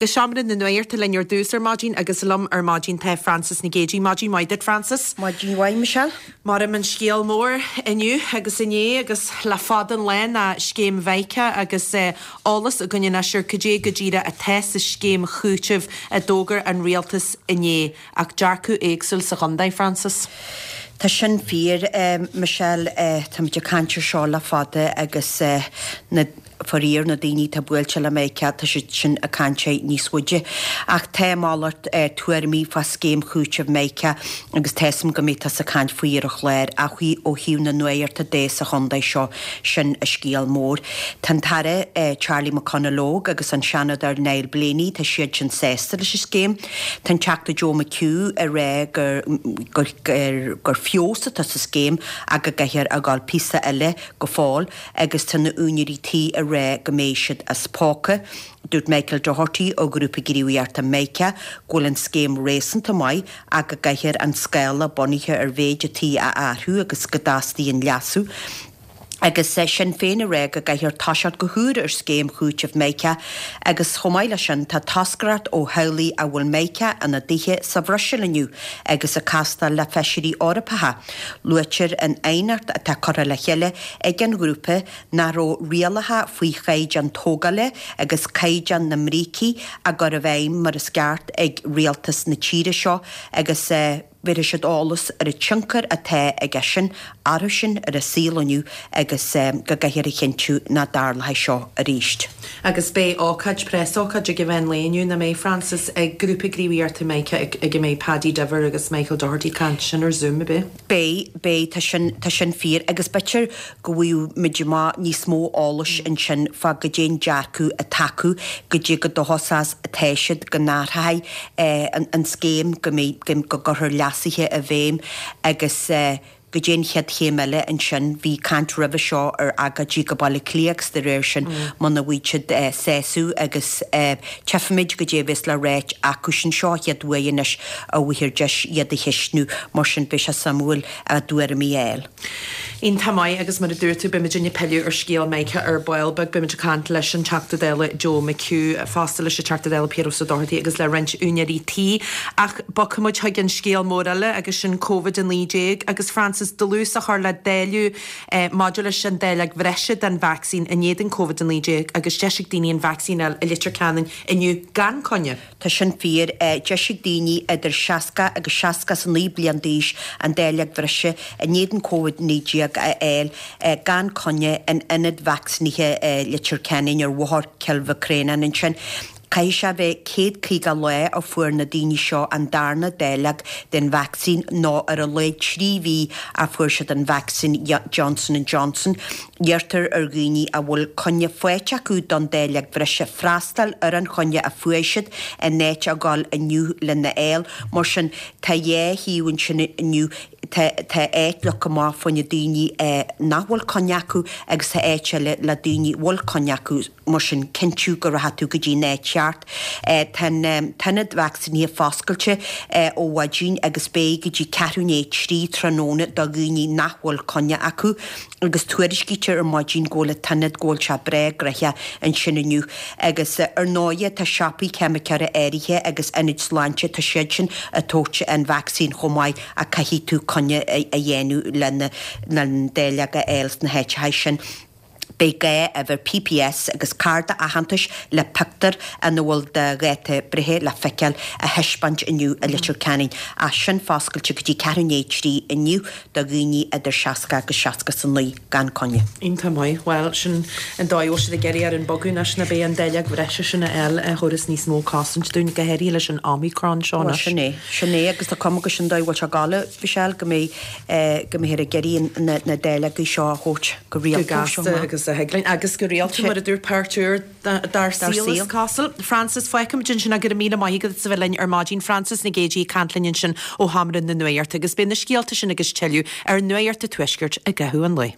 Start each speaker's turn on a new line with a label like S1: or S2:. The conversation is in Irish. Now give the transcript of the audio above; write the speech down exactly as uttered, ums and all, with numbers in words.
S1: Go seomra na nuachta linn ar dtús ar maidin agus liom ar maidin tá Frances Nic Géadaigh. Maidin mhaith duit, Frances.
S2: Maidin mhaith, Michelle.
S1: Mar an scéal mór inniu agus inné agus le fada an lá ná scéim Mhica agus eolas againn anois ar cad é go díreach atá sa scéim chúitimh a d'fhógair an rialtas inné ach dearcadh éagsúil sa chontae, Frances.
S2: Tá sin fíor, Michelle, táimid ag caint ar seo le fada agus na faraor na daoine atá buailte le Mica, tá siad sin ag caint air níos faide. Ach tá malairt tuairimí fá scéim chúitimh Mica agus tá 'fhios a'm go mbeidh tusa ag caint faoi ar an chlár ach ó thaobh na nuachta de sa chontae seo, sin an scéal mór. Tá an tAire Charlie McConalogue agus an Seanadóir Niall Blaney, tá siad sin sásta leis an scéim. Tá an Teachta Joe McHugh ag rá gur gur gur feabhas atá sa scéim ach go gcaithfear a ghabháil píosa eile go fóill agus tá na úinéirí tí ag rá go mbeidh siad as póca. Dúirt Michael Doherty ó Ghrúpa Gníomhaíochta Mica go bhfuil an scéim réasúnta maith ach go gcaithfear an scála bunaithe ar mhéid an tí a athrú agus go dteastaíonn leasú. Agus Sinn Féin ag rá go gcaithfear toiseacht go húr ar scéim chúitimh Mica agus chomh maith leis sin tá toscaireacht ó theaghlaigh a bhfuil Mica ina dtithe sa Bhruiséil inniu agus ag castáil le feisirí Eorpacha. Luaitear in aighneacht atá curtha le chéile ag an ghrúpa nach raibh rialacha faoi chaighdeán tógála agus caighdeán na mbrící á gcur i bhfeidhm mar is ceart ag rialtas na tíre seo agus bhéarfaidh siad eolas ar an tionchar atá aige sin orthu sin ar a saol inniu agus go gcaithfear a chinntiú nach dtarlóidh seo arís.
S1: Agus beidh ócáid, preasócáid ag an mheán lae inniu, nach mbeidh, Frances, ag Grúpa Gníomhaíochta Mica ag a mbeidh Paddy Diver agus Michael Doherty ag caint, sin ar Zoom, ab ea?
S2: Beidh, beidh, tá sin, tá sin fíor agus b'fhéidir go bhfaighidh muid amach níos mó eolais ansin fá goidé an dearcadh atá acu, goidé chomh dóchasach atá siad go n-athróidh an scéim, go mbeidh, go gcuirfear leasuithe i bhfeidhm agus goidé an chéad chéim eile ansin. Bhí caint roimhe seo ar agóidí go Baile Átha Cliath agus de réir sin muna bhfaighidh siad sásamh agus tchífimid goidé a bheas le ráit acusan seo an chéad uair anois a bhfaighfear deis iad a cheistniú mar sin beidh sé suimiúil a dtuairimí a fháil.
S1: Iontach maith agus mar a dúirt tú beimid ag pilleadh ar scéal Mica ar ball beag. Beimid ag caint leis an Teachta Dála Joe McHugh, fosta leis an Teachta Dála Piaras Ó Dochartaigh agus le roinnt úinéirí tí. Ach bogfaidh muid chuig an scéal mór eile agus sin Covid a naoi déag agus Frances dlús a chur le dáileadh maidir leis an dáileog bhreise den vacsaín in éadan Covid a naoi déag agus deis ag daoine an vacsaín a fháil i Leitir Ceanainn inniu gan coinne.
S2: Tá sin fíor. Deis ag daoine idir seasca agus seasca is a naoi bliain d'aois an dáileog bhreise in éadan Covid naoi déag a fháil gan coinne in ionad vacsaínithe Leitir Ceanainn ar Bhóthar Chill Mhic Réanáin ansin. Caithfidh sé a bheith céad caoga lá ó fuair na daoine seo an darna dáileog den vacsaín nó ar a laghad trí mhí ó fuair siad an vacsaín Johnson and Johnson. Iarrtar ar dhaoine a bhfuil coinne faighte acu don dáileog bhreise freastal ar an choinne a fuair siad in áit a ghabháil inniu lena fháil. Mar sin, tá dhá thaobh ansin inniu, tá tá áit leagtha amach fá choinne daoine nach bhfuil coinne acu agus tá áit eile le daoine a bhfuil coinne acu, mar sin cinntiú go rachaidh tú go dtí an áit cheart. Tá an t-ionad vacsaínithe foscailte ó mhaidin agus beidh go dtí ceathrú i ndiaidh a trí tráthnóna do dhaoine nach bhfuil coinne acu agus tuairiscítear ar maidin go bhfuil an t-ionad, go bhfuil sé breá gnoitheach ansin inniu. Agus ar ndóighe tá siopaí ceimiceora áirithe agus ionaid sláinte, tá siad sin ag tabhairt an vacsaín chomh maith ach caithfidh tú coinne a dhéanamh lena an dáileog a fháil sna háiteacha sin. Beidh gá uimhir P P S agus cárta aitheantais le pictiúr ina bhfuil do dháta breithe le feiceáil a thaispeáint inniu i Leitir Ceanainn. Ach sin foscailte go dtí ceathrú i ndiaidh a trí inniu do dhaoine idir seasca agus seasca is a naoi gan coinne.
S1: Iontach maith. Bhuel, sin an dóigh a bhfuil siad ag iarraidh orainn bogadh anois ná beidh an dáileog bhreise sin a fháil a thabharfas níos mó cosaint dúinn, go háirithe leis an Omicron seo
S2: Bhuel,
S1: anois.
S2: sin é. Sin é agus tá cuma go sin dóigh a bhfuil sé ag gabháil, Michelle, go mbeidh go mbeifear ag iarraidh na na dáileogaí seo a thabhairt go
S1: Go
S2: rialta
S1: gasta
S2: seo.
S1: Agus a thig linn agus go rialta mar a dúirt páirt úr dár saol is cosúil. Frances, fágfaimid ansin é go raibh míle maith agat as a bheith linn ar maidin. Frances Nic Géadaigh ag caint linn ansin ó Sheomra na Nuachta agus beidh na scéalta sin agus tuilleadh ar Nuacht an Tuaiscirt i gcaitheamh an lae.